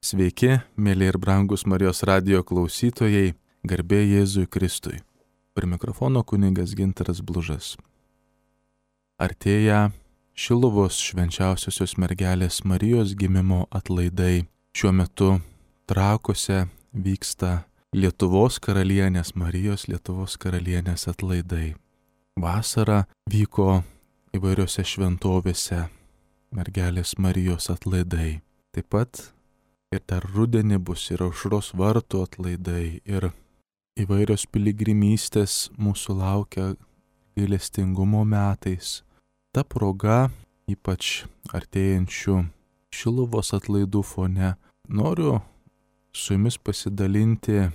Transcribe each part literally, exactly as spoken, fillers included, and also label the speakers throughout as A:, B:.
A: Sveiki, mėly ir brangus Marijos radijo klausytojai, garbė Jėzui Kristui. Prie mikrofono kunigas Gintaras Blužas. Artėja Šiluvos švenčiausiosios mergelės Marijos gimimo atlaidai. Šiuo metu Trakuose vyksta Lietuvos karalienės Marijos Lietuvos karalienės atlaidai. Vasarą vyko įvairiose šventovėse mergelės Marijos atlaidai. Taip pat ir dar rudenį bus ir Aušros vartų atlaidai, ir įvairios piligrimystės mūsų laukia gailestingumo metais. Ta proga, ypač artėjančių Šiluvos atlaidų fone, noriu su jumis pasidalinti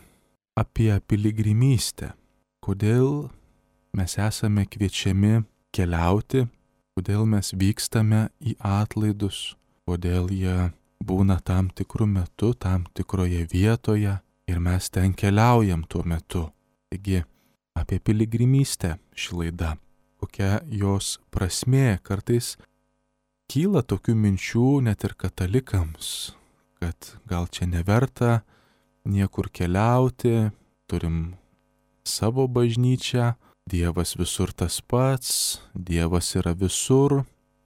A: apie piligrimystę. Kodėl mes esame kviečiami keliauti, kodėl mes vykstame į atlaidus, kodėl jie būna tam tikrų metų, tam tikroje vietoje ir mes ten keliaujam tuo metu. Taigi apie piligrimystę ši laida, kokia jos prasmė. Kartais kyla tokių minčių net ir katalikams, kad gal čia neverta niekur keliauti, turim savo bažnyčią, Dievas visur tas pats, Dievas yra visur,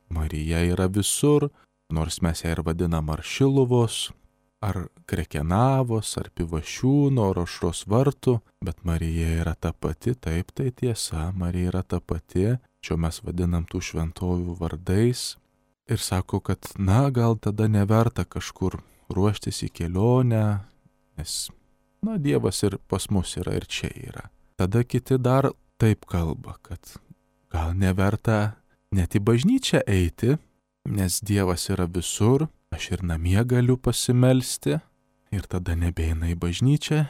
A: Marija yra visur, nors mes ją ir vadinam ar Šiluvos, ar Krekenavos, ar Pivašiūno, ar Aušros vartų, bet Marija yra ta pati, taip tai tiesa, Marija yra ta pati, čia mes vadinam tų šventovių vardais. Ir sako, kad na gal tada neverta kažkur ruoštis į kelionę, nes na Dievas ir pas mus yra ir čia yra. Tada kiti dar taip kalba, kad gal neverta net į bažnyčią eiti, nes Dievas yra visur, aš ir namie galiu pasimelsti ir tada nebeina į bažnyčią,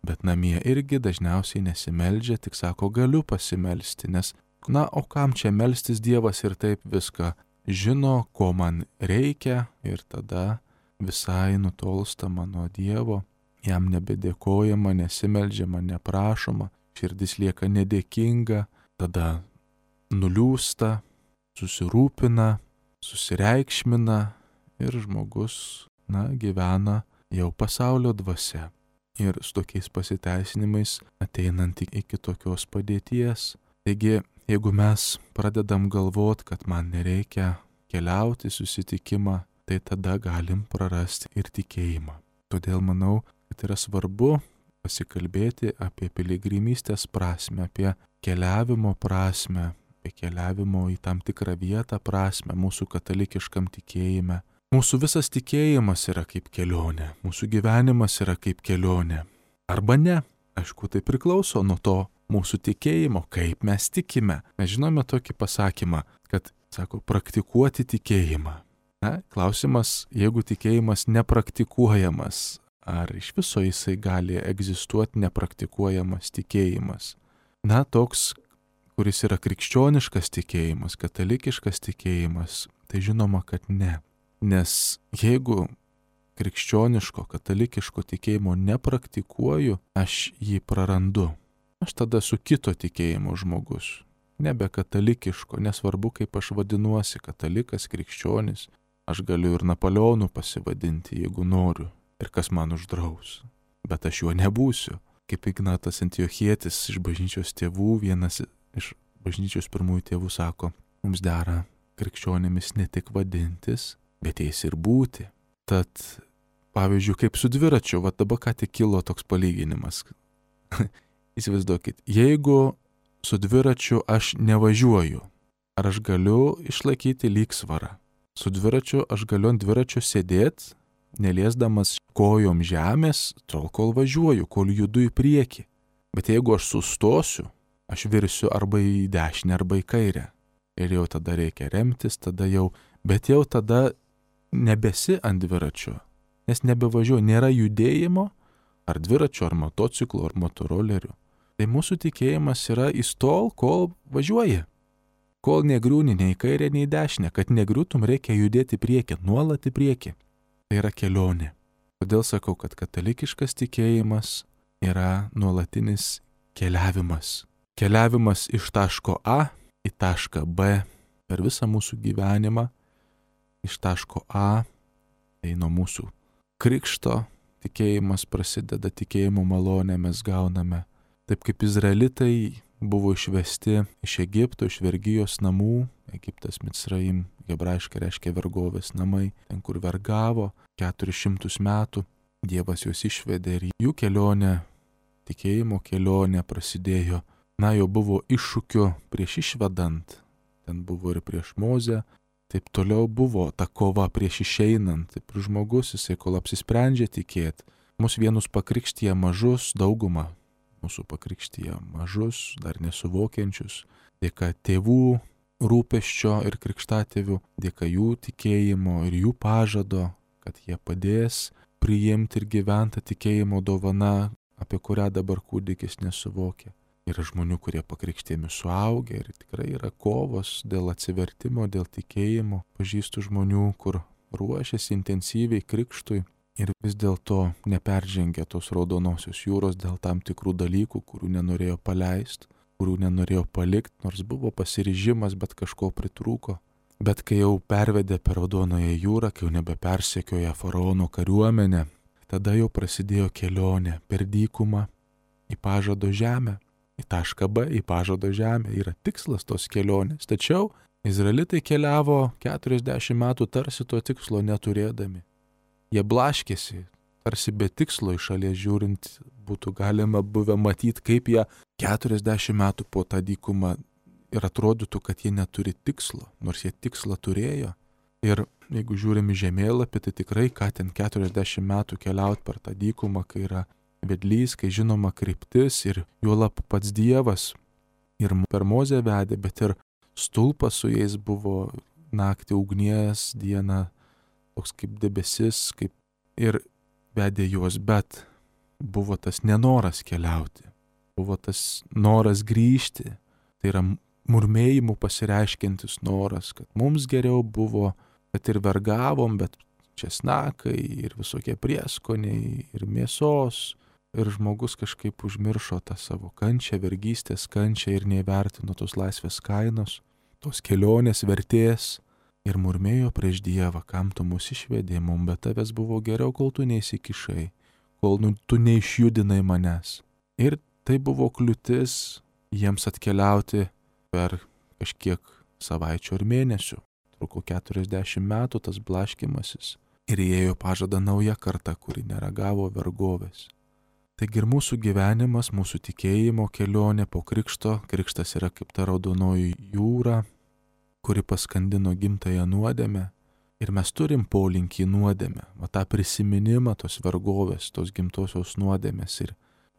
A: bet namie irgi dažniausiai nesimeldžia, tik sako galiu pasimelsti, nes na o kam čia melstis, Dievas ir taip viską žino, ko man reikia ir tada visai nutolstama nuo Dievo, jam nebedėkojama, nesimeldžiama, neprašoma, širdis lieka nedėkinga, tada nuliūsta, susirūpina, susireikšmina ir žmogus, na, gyvena jau pasaulio dvasia. Ir su tokiais pasiteisinimais ateinant iki tokios padėties. Taigi, jeigu mes pradedam galvot, kad man nereikia keliauti susitikimą, tai tada galim prarasti ir tikėjimą. Todėl manau, kad yra svarbu pasikalbėti apie piligrimystės prasme, apie keliavimo prasme, apie keliavimo į tam tikrą vietą prasme mūsų katalikiškam tikėjime. Mūsų visas tikėjimas yra kaip kelionė, mūsų gyvenimas yra kaip kelionė. Arba ne, aišku, tai priklauso nuo to mūsų tikėjimo, kaip mes tikime. Mes žinome tokį pasakymą, kad, sako, praktikuoti tikėjimą. Na, klausimas, jeigu tikėjimas nepraktikuojamas, ar iš viso jisai gali egzistuoti nepraktikuojamas tikėjimas? Na, toks, kuris yra krikščioniškas tikėjimas, katalikiškas tikėjimas, tai žinoma, kad ne. Nes jeigu krikščioniško, katalikiško tikėjimo nepraktikuoju, aš jį prarandu. Aš tada su kito tikėjimo žmogus, nebe katalikiško, nesvarbu kaip aš vadinuosi, katalikas, krikščionis, aš galiu ir Napoleonu pasivadinti, jeigu noriu, ir kas man uždraus, bet aš juo nebūsiu. Kaip Ignatas Antiochietis iš bažnyčios tėvų, vienas iš bažnyčios pirmųjų tėvų sako, mums dera krikščionimis ne tik vadintis, bet jais ir būti. Tad, pavyzdžiui, kaip su dviračiu, va dabar ką tik kilo toks palyginimas. Įsivaizduokit, jeigu su dviračiu aš nevažiuoju, ar aš galiu išlaikyti lygsvarą? Su dviračiu aš galiu ant dviračio sėdėti, neliesdamas kojom žemės, tol kol važiuoju, kol judu į priekį. Bet jeigu aš sustosiu, aš virsiu arba į dešinę, arba į kairę. Ir jau tada reikia remtis, tada jau, bet jau tada nebesi ant dviračio, nes nebevažiuoju, nėra judėjimo, ar dviračio, ar motociklo, ar motorolerių. Tai mūsų tikėjimas yra įstol, kol važiuoji. Kol negriūni nei į kairę, nei į dešinę, kad negriūtum reikia judėti į priekį, nuolat į priekį. Tai yra kelionė. Todėl sakau, kad katalikiškas tikėjimas yra nuolatinis keliavimas. Keliavimas iš taško A į tašką B per visą mūsų gyvenimą. Iš taško A, tai nuo mūsų krikšto tikėjimas prasideda, tikėjimo malonę mes gauname. Taip kaip izraelitai buvo išvesti iš Egipto, iš vergijos namų, Egiptas Micraim, hebrajiškai reiškia vergovės namai, ten kur vergavo keturis šimtus metų, Dievas juos išvedė ir jų kelionė, tikėjimo kelionė prasidėjo. Na, jau buvo iššūkių prieš išvedant, ten buvo ir prieš Mozę, taip toliau buvo ta kova prieš išeinant, taip ir žmogus, jisai kol apsisprendžia tikėti, mus vienus pakrikštyje mažus, daugumą mūsų pakrikštyje mažus, dar nesuvokiančius, dėka tėvų rūpesčio ir krikštatėvių, dėka jų tikėjimo ir jų pažado, kad jie padės priimti ir gyventi tikėjimo dovana, apie kurią dabar kūdikis nesuvokia. Yra žmonių, kurie pakrikštėmi suaugę ir tikrai yra kovos dėl atsivertimo, dėl tikėjimo. Pažįstu žmonių, kur ruošiasi intensyviai krikštui ir vis dėlto neperžengia tos raudonosios jūros dėl tam tikrų dalykų, kurių nenorėjo paleisti, kurių nenorėjo palikti, nors buvo pasiryžimas, bet kažko pritrūko. Bet kai jau pervedė per Raudonoją jūrą, kai jau nebepersekioja faraono kariuomenę, tada jau prasidėjo kelionė per dykumą į pažado žemę. Į tašką B, į pažado žemę yra tikslas tos kelionės. Tačiau izraelitai keliavo keturiasdešimt metų tarsi to tikslo neturėdami. Jie blaškėsi, tarsi be tikslo iš šalies žiūrint būtų galima buvę matyti, kaip jie keturiasdešimt metų po tą dykumą ir atrodytų, kad jie neturi tikslo, nors jie tikslą turėjo. Ir jeigu žiūrim į žemėlapį, tai tikrai, ką ten keturiasdešimt metų keliauti per tą dykumą, kai yra vedlys, kai žinoma kryptis ir juolab pats Dievas ir per Mozę vedė, bet ir stulpas su jais buvo naktį ugnies, dieną toks kaip debesis, kaip ir vedė juos, bet buvo tas nenoras keliauti, buvo tas noras grįžti, tai yra murmėjimų pasireiškiantis noras, kad mums geriau buvo, kad ir vergavom, bet česnakai ir visokie prieskoniai ir mėsos. Ir žmogus kažkaip užmiršo tą savo kančią, vergystės kančią ir neįvertino tos laisvės kainos, tos kelionės vertės ir murmėjo prieš Dievą, kam tu mus išvedė, mum be tavęs buvo geriau, kol tu neįsikišai, kol nu, tu neišjudinai manęs. Ir tai buvo kliūtis jiems atkeliauti per kažkiek savaičių ar mėnesių. Truko keturiasdešimt metų tas blaškymasis ir įėjo pažada nauja karta, kuri neragavo vergovės. Taigi ir mūsų gyvenimas, mūsų tikėjimo kelionė po krikšto, krikštas yra kaip ta raudonoji jūra, kuri paskandino gimtąją nuodėmę ir mes turim polinkį į nuodėmę, va tą prisiminimą tos vergovės, tos gimtosios nuodėmės ir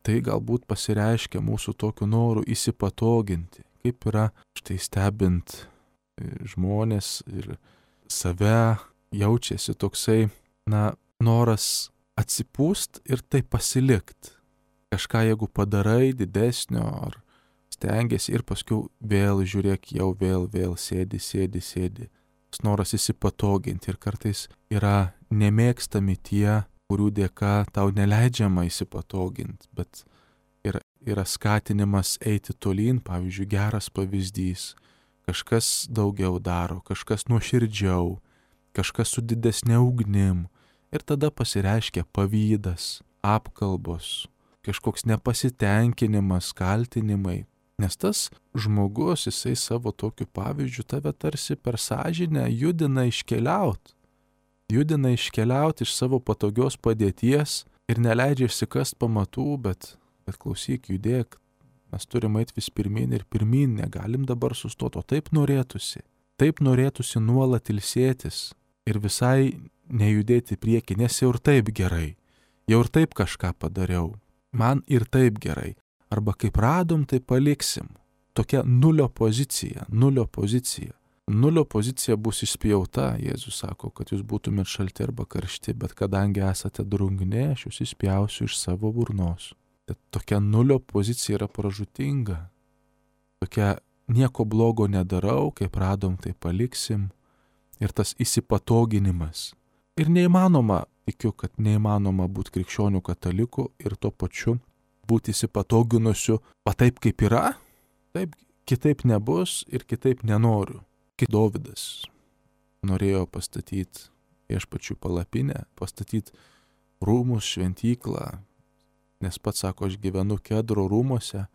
A: tai galbūt pasireiškia mūsų tokiu noru įsipatoginti, kaip yra štai stebint žmonės ir save jaučiasi toksai, na, noras atsipūst ir tai pasilikt. Kažką jeigu padarai didesnio ar stengiasi ir paskui vėl žiūrėk, jau vėl, vėl sėdi, sėdi, sėdi. Tas noras įsipatoginti ir kartais yra nemėgstami tie, kurių dėka tau neleidžiama įsipatoginti, bet ir yra skatinimas eiti tolyn, pavyzdžiui, geras pavyzdys. Kažkas daugiau daro, kažkas nuoširdžiau, kažkas su didesnė ugnim. Ir tada pasireiškia pavydas, apkalbos, kažkoks nepasitenkinimas, kaltinimai. Nes tas žmogus, jisai savo tokiu pavyzdžiu tave tarsi per sąžinę judina iškeliaut. Judina iškeliaut iš savo patogios padėties ir neleidžia išsikast pamatų, bet, bet klausyk, judėk. Mes turime eiti vis pirmin ir pirmin, negalim dabar sustoti, o taip norėtųsi. Taip norėtųsi nuolat ilsėtis ir visai nejudėti prieki, nes jau ir taip gerai, jau ir taip kažką padariau, man ir taip gerai, arba kaip radom, tai paliksim. Tokia nulio pozicija, nulio pozicija. Nulio pozicija bus išspjauta, Jėzus sako, kad jūs būtumėt šalti arba karšti, bet kadangi esate drungni, aš jūs išspjausiu iš savo burnos. Bet tokia nulio pozicija yra pražūtinga, tokia nieko blogo nedarau, kaip radom, tai paliksim. Ir tas įsipatoginimas. Ir neįmanoma, tikiu, kad neįmanoma būti krikščionių katalikų ir tuo pačiu būti įsipatoginusiu, va taip kaip yra, taip kitaip nebus ir kitaip nenoriu. Kaip Dovydas norėjo pastatyti viešpačių palapinę, pastatyti rūmus, šventyklą, nes pats sako, aš gyvenu Kedro rūmuose,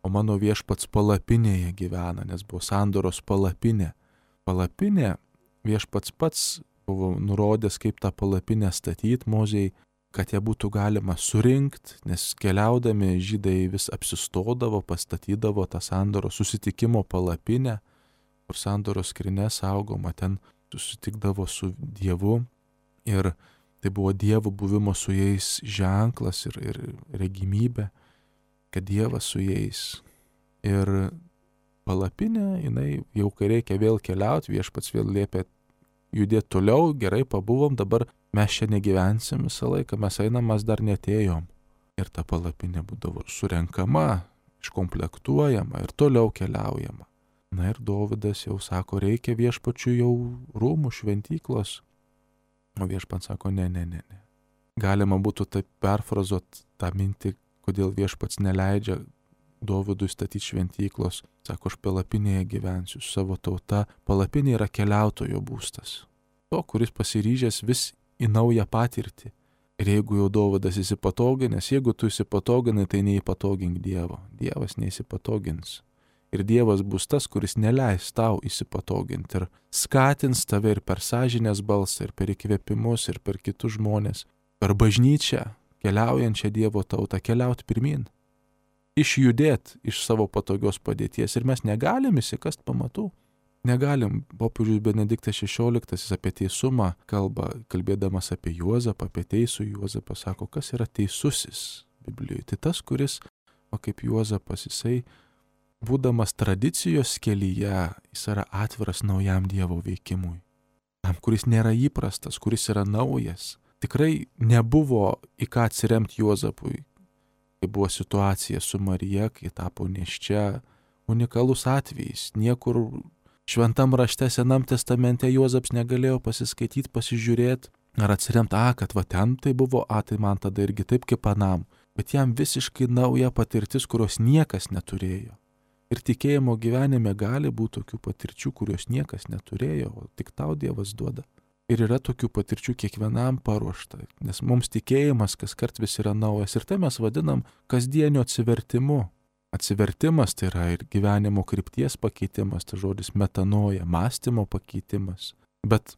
A: o mano viešpats palapinėje gyvena, nes buvo sandoros palapinė. Palapinė viešpats pats buvo nurodęs, kaip tą palapinę statyti Mozei, kad ją būtų galima surinkti, nes keliaudami žydai vis apsistodavo, pastatydavo tą sandoros susitikimo palapinę, kur sandoros skrynia saugoma, ten susitikdavo su Dievu ir tai buvo Dievo buvimo su jais ženklas ir, ir regimybė, kad Dievas su jais. Ir palapinė, jinai jau kai reikia vėl keliauti, viešpats vėl liepia judėti toliau, gerai pabuvom, dabar mes čia negyvensim visą laiką, mes einam, mes dar netėjom. Ir ta palapinė būdavo surenkama, iškomplektuojama ir toliau keliaujama. Na ir Dovydas jau sako, reikia viešpačių jau rūmų, šventyklos. O viešpats sako, ne, ne, ne, ne. Galima būtų taip perfrazuoti tą mintį, kodėl viešpats neleidžia Dovydui statyti šventyklos. Sako, aš palapinėje gyvensiu su savo tauta. Palapinė yra keliautojo būstas. To, kuris pasiryžęs vis į naują patirtį. Ir jeigu jau Dovydas įsipatoginęs, jeigu tu įsipatoginai, tai neįpatogink Dievo. Dievas neįsipatogins. Ir Dievas bus tas, kuris neleis tau įsipatoginti ir skatins tave ir per sąžinės balsą, ir per įkvėpimus, ir per kitus žmonės, per bažnyčią, keliaujančią Dievo tautą, keliauti pirmin, išjudėti iš savo patogios padėties. Ir mes negalim įsikast pamatų. Negalim. Popiežius Benediktas šešioliktasis apie teisumą kalba, kalbėdamas apie Juozapą, apie teisų Juozapą, sako, kas yra teisusis Biblijoje. Tai tas, kuris, o kaip Juozapas, jisai būdamas tradicijos kelyje, jis yra atviras naujam Dievo veikimui. Tam, kuris nėra įprastas, kuris yra naujas. Tikrai nebuvo į ką atsiremti Juozapui, kai buvo situacija su Marija, kai tapo nėščia, unikalus atvejis. Niekur šventam rašte Senam testamente Juozapas negalėjo pasiskaityti, pasižiūrėti, ar atsiremti, a, kad va ten tai buvo, a, tai man tada irgi taip kaip anam. Bet jam visiškai nauja patirtis, kurios niekas neturėjo. Ir tikėjimo gyvenime gali būti tokių patirčių, kurios niekas neturėjo, o tik tau Dievas duoda. Ir yra tokių patirčių kiekvienam paruošta, nes mums tikėjimas kas kart vis yra naujas. Ir tai mes vadinam kasdienio atsivertimu. Atsivertimas tai yra ir gyvenimo krypties pakeitimas, tai žodis metanoja, mąstymo pakeitimas. Bet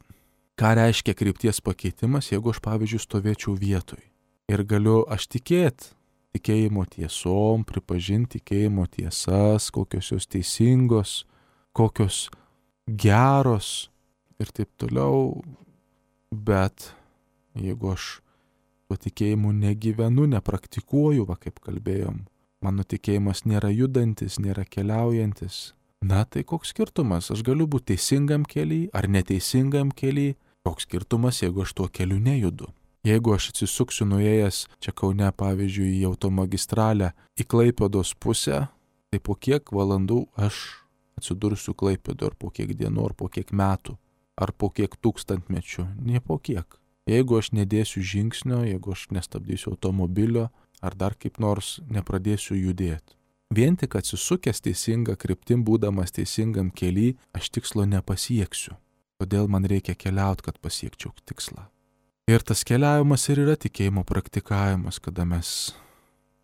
A: ką reiškia krypties pakeitimas, jeigu aš, pavyzdžiui, stovėčiau vietoj ir galiu aš tikėti tikėjimo tiesom, pripažinti tikėjimo tiesas, kokios jos teisingos, kokios geros ir taip toliau. Bet jeigu aš tuo tikėjimu negyvenu, nepraktikuoju, va kaip kalbėjom, mano tikėjimas nėra judantis, nėra keliaujantis, na tai koks skirtumas, aš galiu būti teisingam kely ar neteisingam kely, koks skirtumas, jeigu aš tuo keliu nejudu. Jeigu aš atsisuksiu nuėjęs čia Kaune, pavyzdžiui, į automagistralę į Klaipėdos pusę, tai po kiek valandų aš atsidursiu Klaipėdoje, ar po kiek dienų, ar po kiek metų, ar po kiek tūkstantmečių, ne po kiek. Jeigu aš nedėsiu žingsnio, jeigu aš nestabdysiu automobilio, ar dar kaip nors nepradėsiu judėti. Vien tik atsisukęs teisinga kryptim, būdamas teisingam kely, aš tikslo nepasieksiu. Todėl man reikia keliauti, kad pasiekčiau tikslą. Ir tas keliavimas ir yra tikėjimo praktikavimas, kada mes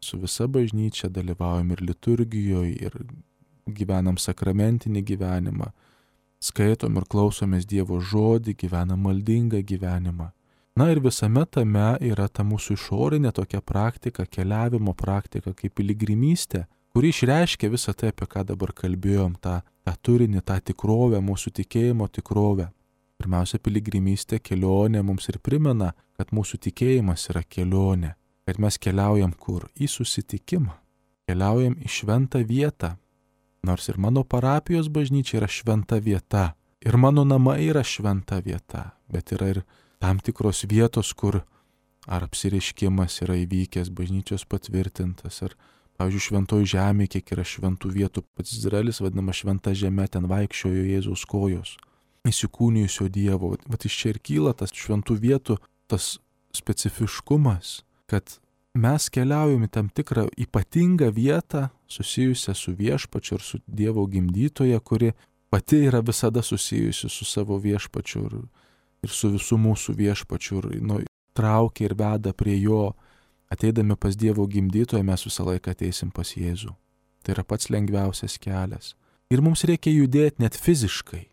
A: su visa bažnyčia dalyvaujam ir liturgijoje, ir gyvenam sakramentinį gyvenimą, skaitom ir klausomės Dievo žodį, gyvenam maldingą gyvenimą. Na ir visame tame yra ta mūsų išorinė tokia praktika, keliavimo praktika, kaip piligrimystė, kuri išreiškia visą tai, apie ką dabar kalbėjom, tą, tą turinį, tą tikrovę, mūsų tikėjimo tikrovę. Pirmiausia, piligrimystė, kelionė mums ir primena, kad mūsų tikėjimas yra kelionė, kad mes keliaujam kur? Į susitikimą, keliaujam į šventą vietą. Nors ir mano parapijos bažnyčia yra šventa vieta, ir mano namai yra šventa vieta, bet yra ir tam tikros vietos, kur ar apsireiškimas yra įvykęs, bažnyčios patvirtintas, ar, pavyzdžiui, šventoj žemė, kiek yra šventų vietų, pats Izraelis vadinama šventa žemė, ten vaikščiojo Jėzaus kojos. Įsikūnijusio Dievo. Vat iš čia ir kyla tas šventų vietų, tas specifiškumas, kad mes keliaujam į tam tikrą ypatingą vietą susijusią su viešpačiu ir su Dievo gimdytoja, kuri pati yra visada susijusi su savo viešpačiu ir, ir su visų mūsų viešpačiu. Ir, nu, traukia ir veda prie jo. Ateidami pas Dievo gimdytoją mes visą laiką ateisim pas Jėzų. Tai yra pats lengviausias kelias. Ir mums reikia judėti net fiziškai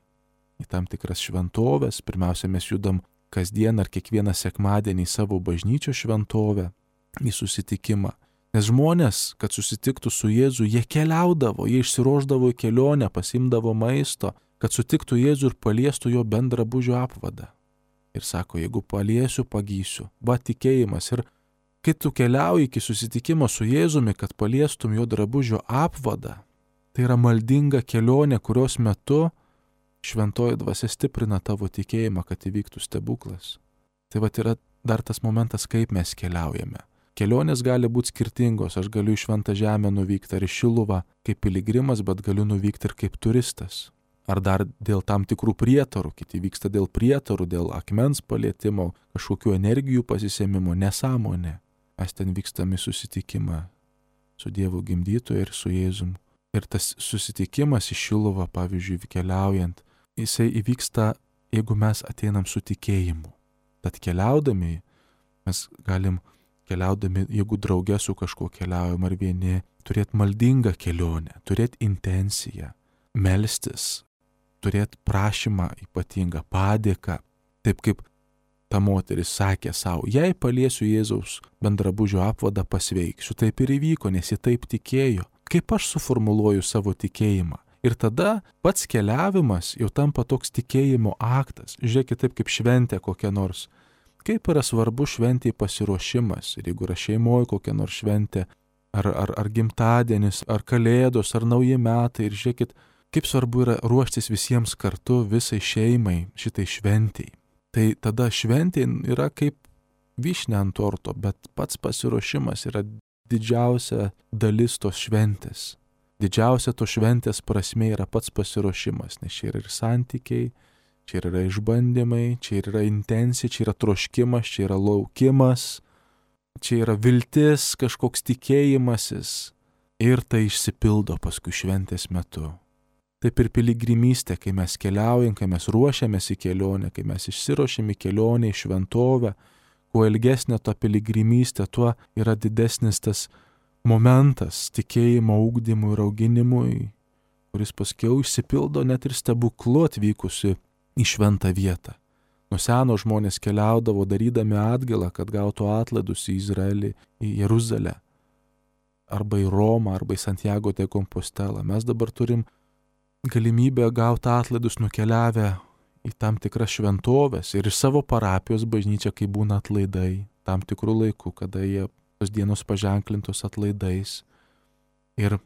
A: į tam tikras šventovės. Pirmiausia, mes judam kasdien ar kiekvieną sekmadienį į savo bažnyčios šventovę, į susitikimą. Nes žmonės, kad susitiktų su Jėzu, jie keliaudavo, jie išsiruošdavo į kelionę, pasimdavo maisto, kad sutiktų Jėzų ir paliestų jo bendrą drabužio apvadą. Ir sako, jeigu paliesiu, pagysiu. Va tikėjimas. Ir kai tu keliauji iki susitikimo su Jėzumi, kad paliestum jo drabužio apvadą, tai yra maldinga kelionė, kurios metu šventoji dvasia stiprina tavo tikėjimą, kad įvyktų stebuklas. Tai va yra dar tas momentas, kaip mes keliaujame. Kelionės gali būti skirtingos. Aš galiu į Šventą Žemę nuvykti ar į Šiluvą kaip piligrimas, bet galiu nuvykti ir kaip turistas. Ar dar dėl tam tikrų prietarų. Kiti vyksta dėl prietarų, dėl akmens palietimo, kažkokių energijų pasisėmimo, nesąmonė. Mes ten vykstame į susitikimą su Dievo gimdytoju ir su Jėzum. Ir tas susitikimas į Šiluvą, pavyzdžiui, keliaujant, jisai įvyksta, jeigu mes ateinam su tikėjimu. Tad keliaudami, mes galim keliaudami, jeigu drauge su kažkuo keliaujam ar vieni, turėti maldingą kelionę, turėti intenciją, melstis, turėti prašymą ypatingą, padėką. Taip kaip ta moteris sakė savo, jei paliesiu Jėzaus bendrabužio apvadą, pasveiksiu. Taip ir įvyko, nes ji taip tikėjo. Kaip aš suformuluoju savo tikėjimą? Ir tada pats keliavimas jau tampa toks tikėjimo aktas. Žiūrėkit, taip kaip šventė kokia nors. Kaip yra svarbu šventėj pasiruošimas. Ir jeigu yra šeimoje kokia nors šventė, ar, ar, ar gimtadienis, ar kalėdos, ar nauji metai. Ir žiūrėkit, kaip svarbu yra ruoštis visiems kartu, visai šeimai, šitai šventėj. Tai tada šventė yra kaip vyšnia ant torto, bet pats pasiruošimas yra didžiausia dalis tos šventės. Didžiausia to šventės prasmė yra pats pasiruošimas, nes čia yra ir santykiai, čia yra išbandymai, čia yra intencija, čia yra troškimas, čia yra laukimas, čia yra viltis, kažkoks tikėjimasis ir tai išsipildo paskui šventės metu. Taip ir piligrimystė, kai mes keliaujam, kai mes ruošiamės į kelionę, kai mes išsiruošiam į kelionę, į šventovę, kuo ilgesnė ta piligrimystė, tuo yra didesnis tas momentas tikėjimo ugdymui ir auginimui, kuris paskiau išsipildo net ir stebuklu atvykusi į šventą vietą. Nuo seno žmonės keliaudavo darydami atgailą, kad gautų atlaidus į Izraelį, į Jeruzalę, arba į Romą, arba į Santiago de Compostelą. Mes dabar turim galimybę gauti atlaidus nukeliavę į tam tikras šventovės ir iš savo parapijos bažnyčią, kai būna atlaidai, tam tikrų laikų, kada jie tos dienos paženklintos atlaidais. Ir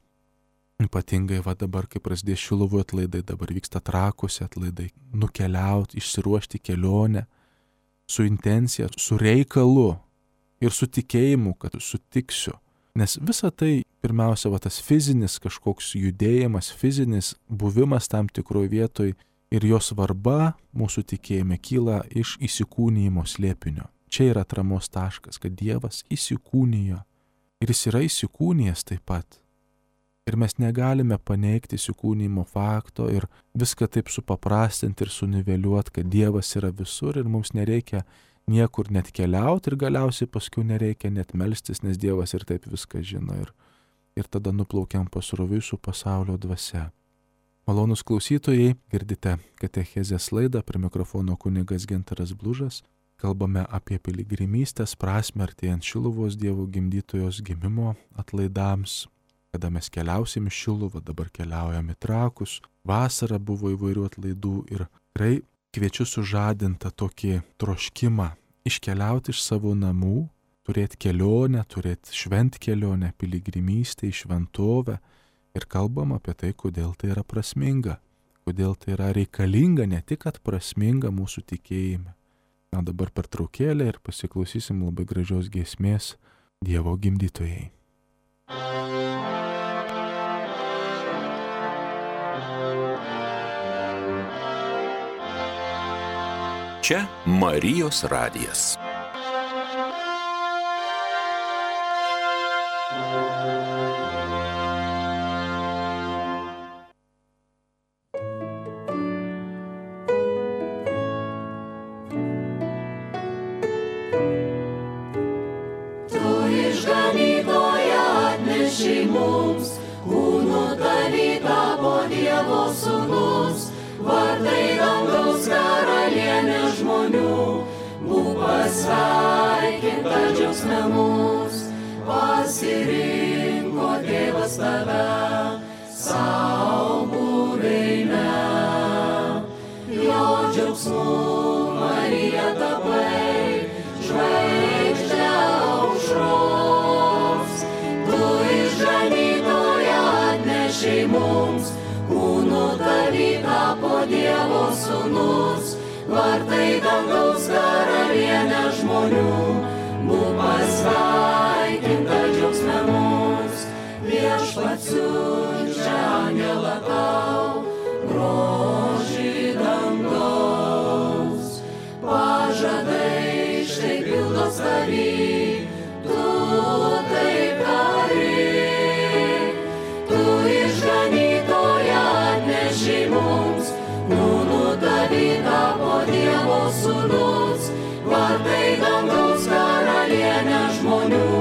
A: ypatingai va dabar, kai prasidės Šiluvų atlaidai, dabar vyksta Trakuose atlaidai, nukeliauti, išsiruošti kelionę su intencija, su reikalu ir su tikėjimu, kad sutiksiu. Nes visa tai, pirmiausia, va tas fizinis kažkoks judėjimas, fizinis buvimas tam tikroje vietoje ir jo svarba mūsų tikėjime kyla iš įsikūnijimo slėpinio. Čia yra atramos taškas, kad Dievas įsikūnijo ir jis yra įsikūnijęs taip pat. Ir mes negalime paneigti įsikūnijimo fakto ir viską taip supaprastinti ir suniveliuoti, kad Dievas yra visur ir mums nereikia niekur net keliauti ir galiausiai paskui nereikia net melstis, nes Dievas ir taip viską žino ir, ir tada nuplaukiam pasroviui su pasaulio dvasia. Malonus klausytojai, girdite katechezės laidą, prie mikrofono kunigas Gintaras Blužas. Kalbame apie piligrimystės prasmę artėjant Šiluvos Dievo gimdytojos gimimo atlaidams, kada mes keliausim į Šiluvą, dabar keliaujam į Trakus. Vasara buvo įvairių atlaidų ir tikrai kviečiu sužadintą tokį troškimą iškeliauti iš savo namų, turėti kelionę, turėti šventkelionę, piligrimystę į šventovę ir kalbam apie tai, kodėl tai yra prasminga, kodėl tai yra reikalinga, ne tik kad prasminga mūsų tikėjime. Na dabar pertraukėlė ir pasiklausysim labai gražios giesmės Dievo gimdytojai.
B: Čia Marijos radijas.
C: atnešei mums, kūnu tavy tapo Dievo sūnus, vartai dangaus karalienė žmonių, būk pasveikinta džiaugsme mus, pasirinko Tėvas tave, savo buveinę. Jo džiaugsmu Marija tapai, žvaigždė aušros, tu išganytoją atnešei mums, kūnu tavy tapo Dievo sūnus, vartai dangaus karalienė žmonių, būk pasveikinta džiaugsme mus, viešpats siunčia angelą tau, grožį dangaus, pažadai štai pildos tavy, tu taip tari, tu išganytoją atnešei mums, kūnu tavy tapo Dievo sūnus, vartai dangaus karalienė žmonių,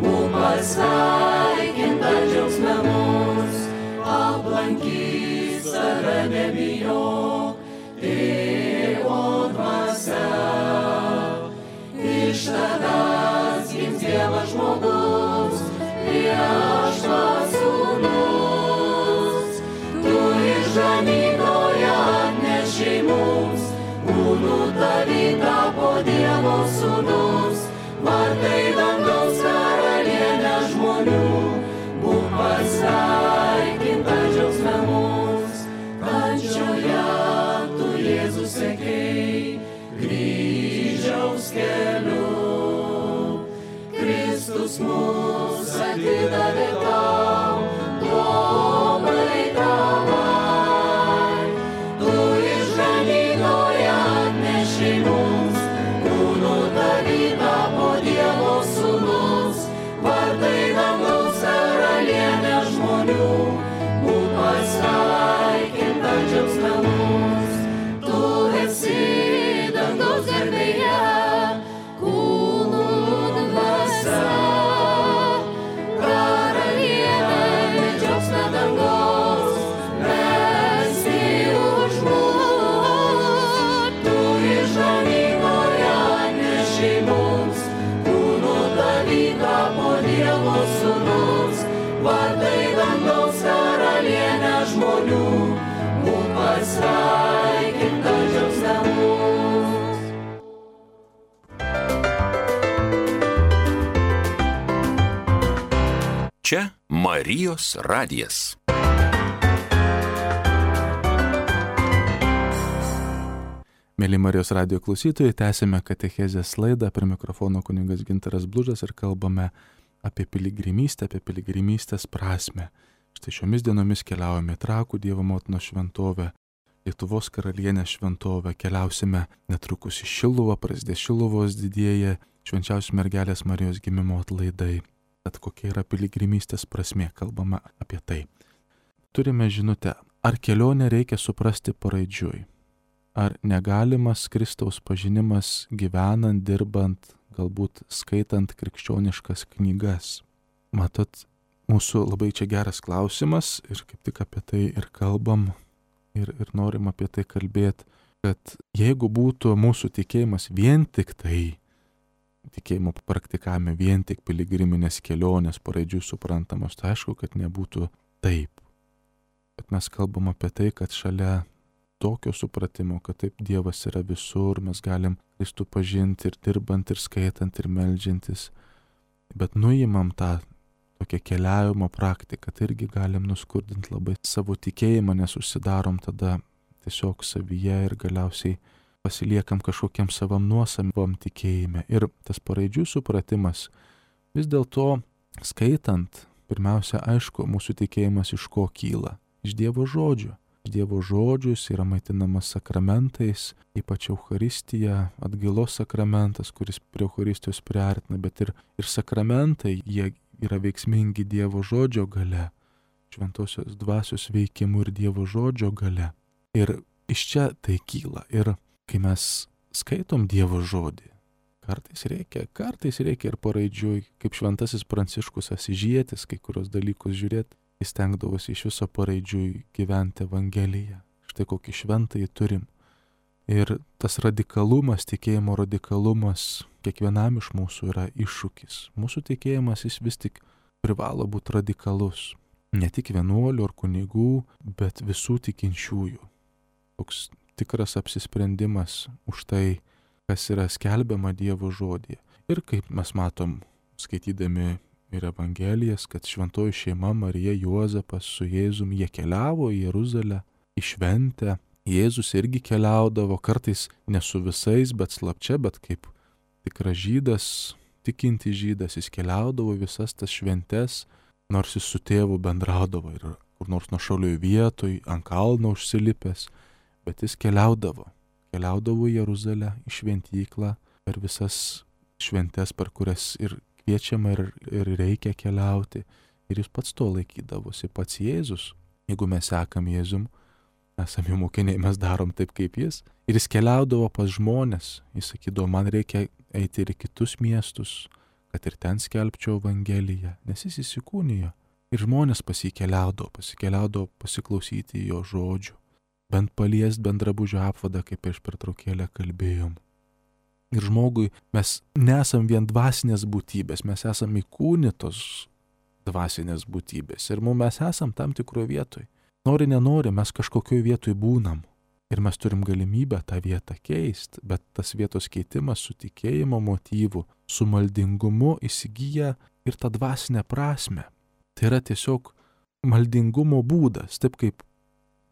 C: būk pasveikinta džiaugsme mus, aplankys tave nebijok, Tėvo dvasia. Iš tavęs gims Dievas žmogus, viešpats sūnus, tu išganytoją atnešei mums, kūnu tavy tapo Dievo sūnus, vartai dangaus karalienė žmonių, būk pasveikinta džiaugsme mus, kančioje tu Jėzus sekei, kryžiaus keliu, Kristus mus atidavė tau, globai tavai, tu išganytoją atnešei mums, kūnu tavy tapo Dievo sūnus, vartai dangaus karalienė žmonių, būk pasveikinta džiaugsme mus, tu esi dangaus garbėje, kūnų dvasia, karalienė džiaugsme dangaus, mesti už mus, tu išganytoją atnešei mums, kūnu tavy tapo Dievo sūnus, vartai dangaus karalienė žmonių, būk pasveikinta džiaugsme mus.
B: Čia Marijos radijas.
A: Mėly Marijos radijo klausytojai, tęsime katechezės laidą, prie mikrofono kunigas Gintaras Blužas ir kalbame apie piligrimystę, apie piligrimystės prasmę. Štai šiomis dienomis keliaujame Trakų Dievo motinos šventovę, Lietuvos karalienės šventovę, keliausime netrukus į Šiluvą, prasidės Šiluvos didieji švenčiausios mergelės Marijos gimimo atlaidai. Tad kokia yra piligrimystės prasmė, kalbama apie tai. Turime žinutę, ar kelionę reikia suprasti paraidžiui, ar negalimas Kristaus pažinimas gyvenant, dirbant, galbūt skaitant krikščioniškas knygas. Matot, mūsų labai čia geras klausimas ir kaip tik apie tai ir kalbam ir, ir norim apie tai kalbėti, kad jeigu būtų mūsų tikėjimas vien tik tai, tikėjimo praktikavime vien tik piligriminės kelionės paraidžiui suprantamos, tai aišku, kad nebūtų taip. Bet mes kalbam apie tai, kad šalia tokio supratimo, kad taip Dievas yra visur, mes galim Kristų pažinti ir dirbant, ir skaitant, ir meldžiantis. Bet nuimam tą tokią keliavimo praktiką, tai irgi galim nuskurdinti labai savo tikėjimą, nes užsidarom tada tiesiog savyje ir galiausiai pasiliekam kažkokiam savam nuosavam tikėjime. Ir tas paraidžių supratimas vis dėlto skaitant, pirmiausia, aišku, mūsų tikėjimas iš ko kyla? Iš Dievo žodžio. Dievo žodžius yra maitinamas sakramentais, ypač Eucharistija, atgailos sakramentas, kuris prie Eucharistijos priartina, bet ir, ir sakramentai, jie yra veiksmingi Dievo žodžio gale, šventosios dvasios veikimu ir Dievo žodžio gale. Ir iš čia tai kyla. Ir kai mes skaitom Dievo žodį, Kartais reikia, kartais reikia ir paraidžiui, kaip šventasis Pranciškus Asižietis, kai kurios dalykus žiūrėti, jis stengdavosi iš viso paraidžiui gyventi Evangeliją. Štai kokį šventąjį turim. Ir tas radikalumas, tikėjimo radikalumas kiekvienam iš mūsų yra iššūkis. Mūsų tikėjimas jis vis tik privalo būti radikalus. Ne tik vienuolių ar kunigų, bet visų tikinčiųjų. Toks tikras apsisprendimas už tai, kas yra skelbiama Dievo žodyje. Ir kaip mes matom, skaitydami ir Evangelijas, kad šventoji šeima Marija, Juozapas su Jėzum, jie keliavo į Jeruzalę, į šventę. Jėzus irgi keliaudavo, kartais ne su visais, bet slapčia, bet kaip tikras žydas, tikinti žydas, jis keliaudavo visas tas šventes, nors jis su tėvu bendraudavo ir kur nors nuošalioj vietoj, ant kalno užsilipęs, bet jis keliaudavo. Keliaudavo į Jeruzalę, į šventyklą, per visas šventes, per kurias ir kviečiama ir, ir reikia keliauti. Ir jis pats to laikydavosi, pats Jėzus. Jeigu mes sekam Jėzum, esame jų mokiniai, mes darom taip kaip jis. Ir jis keliaudavo pas žmonės. Jis sakydavo, man reikia eiti ir į kitus miestus, kad ir ten skelbčiau Evangeliją, nes jis įsikūnijo. Ir žmonės pasikeliaudavo, pasikeliaudavo pasiklausyti jo žodžių. Bent paliest, bent drabužio apvadą, kaip prieš pertraukėlę kalbėjom. Ir žmogui mes nesam vien dvasinės būtybės, mes esam įkūnytos dvasinės būtybės. Ir mums mes esam tam tikroje vietoje. Nori, nenori, mes kažkokioj vietoj būnam. Ir mes turim galimybę tą vietą keisti, bet tas vietos keitimas su tikėjimo motyvu, su maldingumu įsigyja ir tą dvasinę prasme. Tai yra tiesiog maldingumo būdas, taip kaip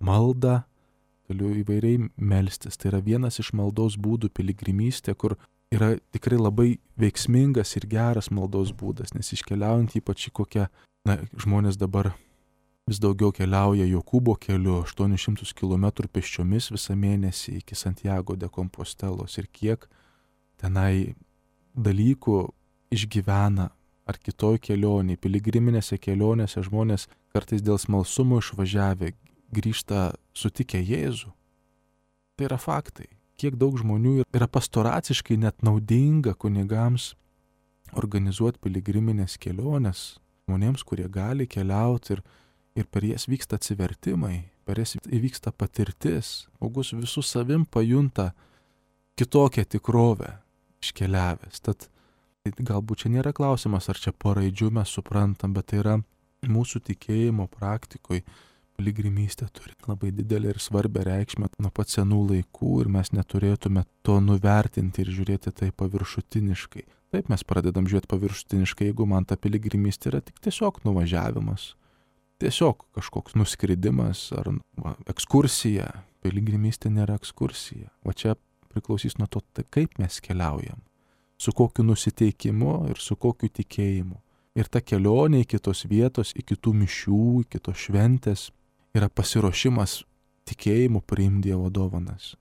A: malda, galiu įvairiai melstis. Tai yra vienas iš maldos būdų piligrimystė, kur yra tikrai labai veiksmingas ir geras maldos būdas, nes iškeliaujant ypač į kokią, na, žmonės dabar vis daugiau keliauja Jokūbo keliu, aštuonis šimtus kilometrų pėsčiomis visą mėnesį iki Santiago de Kompostelos ir kiek tenai dalykų išgyvena ar kitoj kelionėje, piligriminėse kelionėse žmonės kartais dėl smalsumo išvažiavę grįžta sutikę Jėzų. Tai yra faktai. Kiek daug žmonių yra pastoraciškai net naudinga kunigams organizuoti piligriminės keliones žmonėms, kurie gali keliauti ir Ir per jas vyksta atsivertimai, per jas įvyksta patirtis. Žmogus visų savim pajunta kitokią tikrovę iškeliavęs. Tad galbūt čia nėra klausimas, ar čia paraidžių mes suprantam, bet tai yra mūsų tikėjimo praktikoje. Piligrimystė turi labai didelę ir svarbę reikšmę nuo pat senų laikų ir mes neturėtume to nuvertinti ir žiūrėti tai paviršutiniškai. Taip mes pradedam žiūrėti paviršutiniškai, jeigu man ta piligrimystė yra tik tiesiog nuvažiavimas. Tiesiog kažkoks nuskridimas ar va, ekskursija. Piligrimystė nėra ekskursija. O čia priklausys nuo to, tai kaip mes keliaujam. Su kokiu nusiteikimu ir su kokiu tikėjimu. Ir ta kelionė į kitos vietos, į kitų mišių, į kitos šventės yra pasiruošimas tikėjimu priimti Dievo dovanas.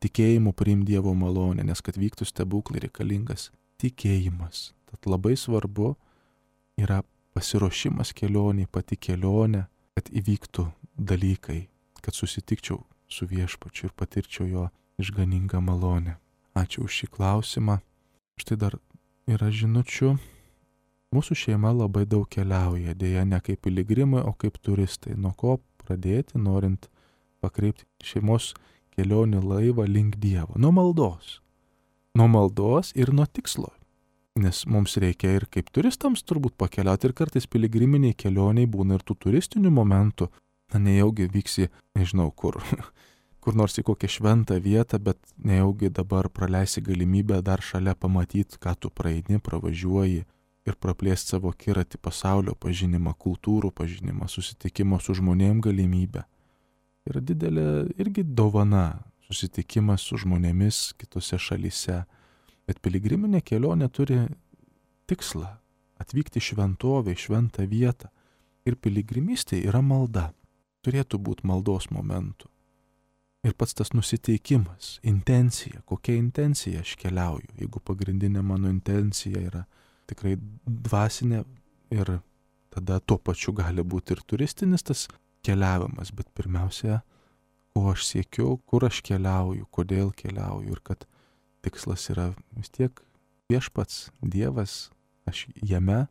A: Tikėjimu priimti Dievo malonę, nes kad vyktų stebuklai reikalingas tikėjimas. Tad labai svarbu yra pasiruošimas kelionė, pati kelionė, kad įvyktų dalykai, kad susitikčiau su Viešpačiu ir patirčiau jo išganingą malonę. Ačiū už šį klausimą. Štai dar yra žinučių. Mūsų šeima labai daug keliauja, dėja ne kaip piligrimai, o kaip turistai. Nuo ko pradėti, norint pakreipti šeimos kelionį laivą link Dievo? Nuo maldos. Nuo maldos ir nuo tikslo. Nes mums reikia ir kaip turistams turbūt pakeliauti ir kartais piligriminiai kelioniai būna ir tų turistinių momentų. Na, nejaugi vyksi, nežinau kur, kur nors į kokią šventą vietą, bet nejaugi dabar praleisi galimybę dar šalia pamatyti, ką tu praeini, pravažiuoji ir praplėsti savo akiratį pasaulio pažinimą, kultūrų pažinimą, susitikimo su žmonėm galimybę. Yra didelė irgi dovana susitikimas su žmonėmis kitose šalyse. Bet piligriminė kelionė turi tikslą atvykti šventovę, šventą vietą. Ir piligrimystė yra malda. Turėtų būti maldos momentų. Ir pats tas nusiteikimas, intencija, kokia intencija aš keliauju. Jeigu pagrindinė mano intencija yra tikrai dvasinė ir tada tuo pačiu gali būti ir turistinis tas keliavimas. Bet pirmiausia, ko aš siekiu, kur aš keliauju, kodėl keliauju ir kad tikslas yra vis tiek viešpats, Dievas, aš jame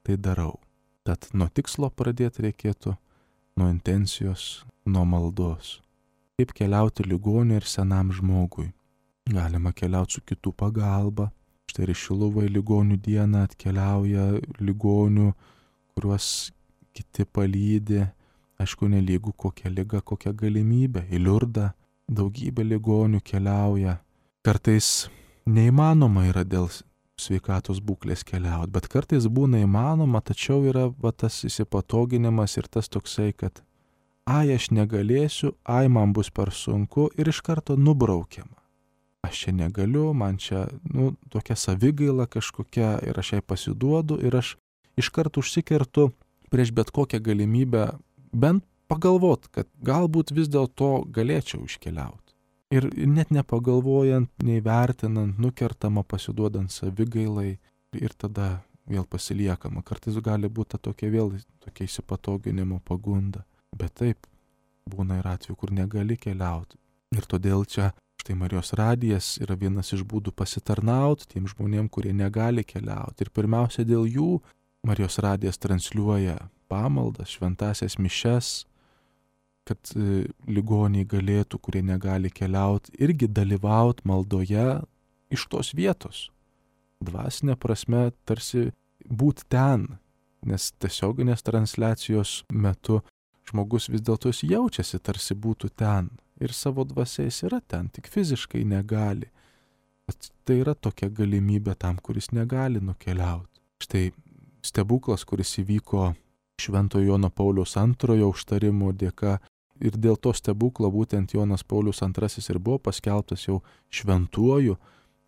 A: tai darau. Tad nuo tikslo pradėti reikėtų, nuo intencijos, nuo maldos. Kaip keliauti ligoniui ir senam žmogui. Galima keliauti su kitų pagalba. Štai ir Šiluvai ligonių dieną atkeliauja ligonių, kuriuos kiti palydi. Aišku, nelygų kokia liga, kokia galimybė. Į Liurdą daugybė ligonių keliauja. Kartais neįmanoma yra dėl sveikatos būklės keliauti, bet kartais būna įmanoma, tačiau yra va, tas įsipatoginimas ir tas toksai, kad ai aš negalėsiu, ai man bus per sunku ir iš karto nubraukiama. Aš čia negaliu, man čia nu, tokia savigaila kažkokia ir aš jai pasiduodu ir aš iš karto užsikertu prieš bet kokią galimybę bent pagalvot, kad galbūt vis dėlto galėčiau iškeliauti. Ir net nepagalvojant, neįvertinant, nukertama, pasiduodant savigailai ir tada vėl pasiliekama. Kartais gali būti tokia vėl tokia įsipatoginimo pagunda. Bet taip, būna ir atveju, kur negali keliauti. Ir todėl čia štai Marijos radijas yra vienas iš būdų pasitarnauti tiem žmonėm, kurie negali keliauti. Ir pirmiausia dėl jų Marijos radijas transliuoja pamaldas, šventasias mišias, kad ligoniai galėtų, kurie negali keliauti, irgi dalyvauti maldoje iš tos vietos. Dvasinė prasme tarsi būti ten, nes tiesioginės transliacijos metu žmogus vis dėlto jaučiasi tarsi būtų ten ir savo dvasiais yra ten, tik fiziškai negali. Bet tai yra tokia galimybė tam, kuris negali nukeliauti. Štai stebuklas, kuris įvyko Šventojo Jono Pauliaus antrojo užtarimo dėka. Ir dėl to stebuklo būtent Jonas Paulius antrasis ir buvo paskelbtas jau šventuoju,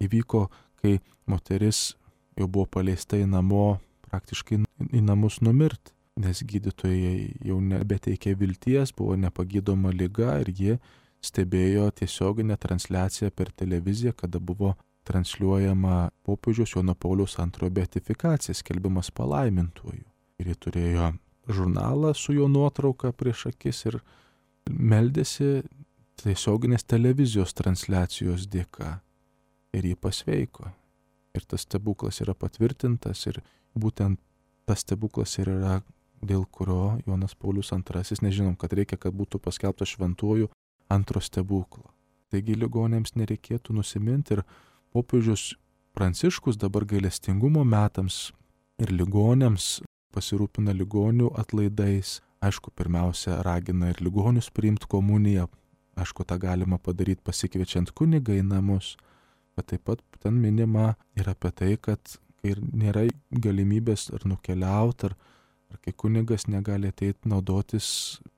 A: įvyko, kai moteris jau buvo paleista į namo, praktiškai į namus numirti, nes gydytojai jau nebeteikė vilties, buvo nepagydoma liga ir ji stebėjo tiesioginę transliaciją per televiziją, kada buvo transliuojama popiežiaus Jono Pauliaus antrojo beatifikacija, skelbimas palaimintuoju. Ir ji turėjo žurnalą su jo nuotrauka prieš akis ir meldėsi tiesioginės televizijos transliacijos dėka ir jį pasveiko. Ir tas stebuklas yra patvirtintas ir būtent tas stebuklas ir yra, dėl kurio Jonas Paulius antrasis, nežinom, kad reikia, kad būtų paskelbtas šventuoju antro stebuklo. Taigi ligonėms nereikėtų nusiminti ir popiežius Pranciškus dabar gailestingumo metams ir ligonėms pasirūpina ligonių atlaidais. Aišku, pirmiausia, ragina ir ligonius priimti komuniją. Aišku, tą galima padaryti pasikviečiant kunigą į namus. Bet taip pat ten minima ir apie tai, kad ir nėra galimybės ar nukeliauti, ar, ar kai kunigas negali ateiti naudotis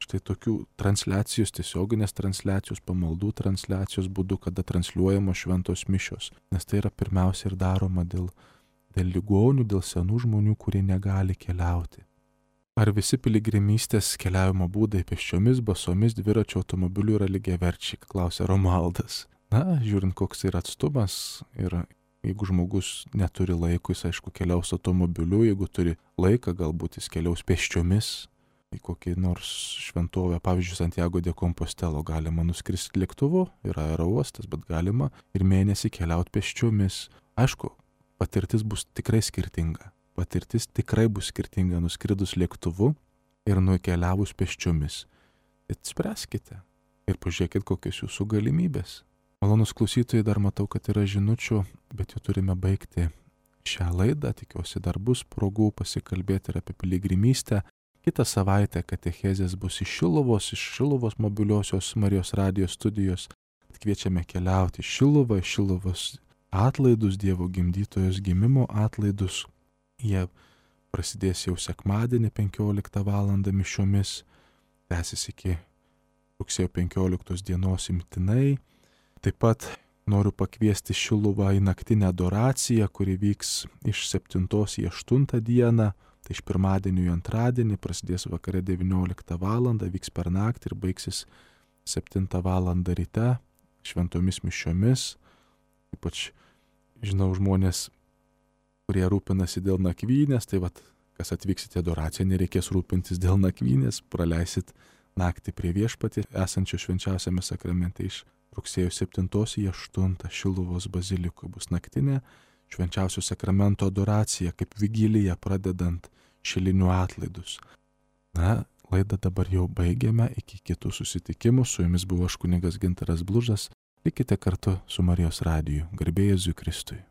A: štai tokių transliacijos, tiesioginės transliacijos, pamaldų transliacijos būdu, kada transliuojamos šventos mišios. Nes tai yra pirmiausia ir daroma dėl, dėl ligonių, dėl senų žmonių, kurie negali keliauti. Ar visi piligrimystės keliavimo būdai pėsčiomis, basomis, dviračio automobiliu yra lygiaverčiai, klausia Romualdas. Na, žiūrint, koks yra atstumas ir jeigu žmogus neturi laiko, jis aišku keliaus automobiliu, jeigu turi laiką, galbūt jis keliaus pėsčiomis į kokį nors šventovę, pavyzdžiui, Santiago de Compostelo galima nuskristi lėktuvu, yra aerouostas, bet galima ir mėnesį keliauti pėsčiomis. Aišku, patirtis bus tikrai skirtinga. Patirtis tikrai bus skirtinga nuskridus lėktuvu ir nukeliavus pėsčiomis. Bet spręskite ir pažiūrėkit, kokios jūsų galimybės. Malonus klausytojai, dar matau, kad yra žinučių, bet jau turime baigti šią laidą. Tikiuosi, dar bus progų pasikalbėti ir apie piligrimystę. Kitą savaitę katechezės bus iš Šiluvos, iš Šiluvos mobiliosios Marijos radijos studijos. Kviečiame keliauti į Šiluvą, Šiluvos atlaidus, Dievo gimdytojos gimimo atlaidus. Jie prasidės jau sekmadienį penkioliktą valandą mišiomis, tęsis iki rugsėjo penkioliktos dienos imtinai. Taip pat noriu pakviesti Šiluvą į naktinę adoraciją, kuri vyks iš septintos į aštuntą dieną, tai iš pirmadienio į antradienį, prasidės vakare devynioliktą valandą, vyks per naktį ir baigsis septintą valandą ryte šventomis mišiomis. Ypač žinau žmonės, kurie rūpinasi dėl nakvynės, tai vat, kas atvyksite adoraciją, nereikės rūpintis dėl nakvynės, praleisit naktį prie viešpatį esančio švenčiausiame sakramente iš rugsėjo septintos į aštuntą Šiluvos bazilikoje bus naktinė švenčiausio sakramento adoraciją, kaip vigiliją pradedant šilinių atlaidus. Na, laidą dabar jau baigėme, iki kitų susitikimų. Su jumis buvo aš kunigas Gintaras Blužas. Likite kartu su Marijos radiju. Garbė Jėzui Kristui.